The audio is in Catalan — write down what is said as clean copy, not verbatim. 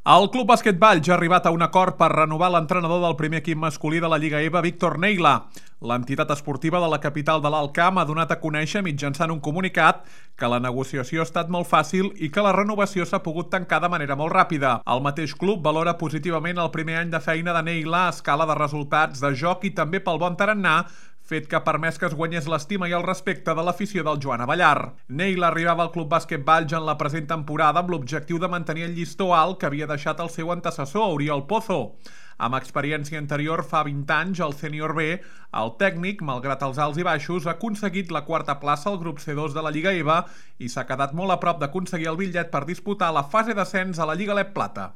El Club Bàsquet Valls ha arribat a un acord per renovar l'entrenador del primer equip masculí de la Lliga EVA, Víctor Neila. L'entitat esportiva de la capital de l'Alt Camp ha donat a conèixer mitjançant un comunicat que la negociació ha estat molt fàcil i que la renovació s'ha pogut tancar de manera molt ràpida. El mateix club valora positivament el primer any de feina de Neila a escala de resultats, de joc i també pel bon tarannà, fet que ha permès que es guanyés l'estima i el respecte de l'afició del Joan Abellar. Neila arribava al Club Bàsquet Valls en la present temporada amb l'objectiu de mantenir el llistó alt que havia deixat el seu antecessor, Oriol Pozo. Amb experiència anterior fa 20 anys al Sènior B, el tècnic, malgrat els alts i baixos, ha aconseguit la quarta plaça al grup C2 de la Lliga EVA i s'ha quedat molt a prop d'aconseguir el bitllet per disputar la fase d'ascens a la Lliga LEP Plata.